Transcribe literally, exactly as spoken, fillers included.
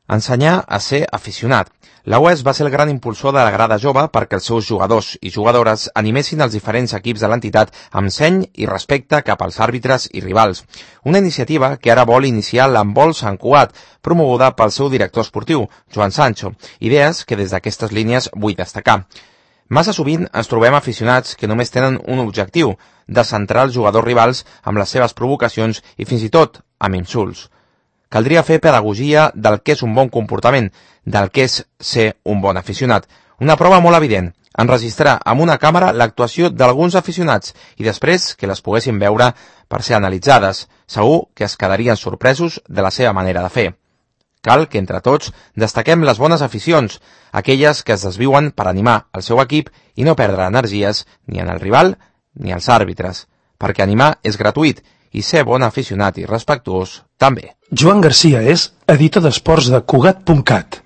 Ensenyar a ser aficionat. La U E S va ser el gran impulsor de la grada jove perquè els seus jugadors i jugadores animessin els diferents equips de l'entitat amb seny i respecte cap als àrbitres i rivals. Una iniciativa que ara vol iniciar l'Handbol Sant Cugat, promoguda pel seu director esportiu, Joan Sancho, idees que des d'aquestes línies vull destacar. Massa sovint ens trobem aficionats que només tenen un objectiu, descentrar els jugadors rivals amb les seves provocacions i fins i tot amb insults. Caldria fer pedagogia del que és un bon comportament, del que és ser un bon aficionat. Una prova molt evident, enregistrar amb una càmera l'actuació d'alguns aficionats i després que les poguessin veure per ser analitzades. Segur que es quedarien sorpresos de la seva manera de fer. Cal que entre tots destaquem les bones aficions, aquelles que es desviuen per animar el seu equip i no perdre energies ni en el rival ni als àrbitres, perquè animar és gratuït i ser bon aficionat i respectuós també. Joan Garcia és editor d'esports de Cugat punt cat.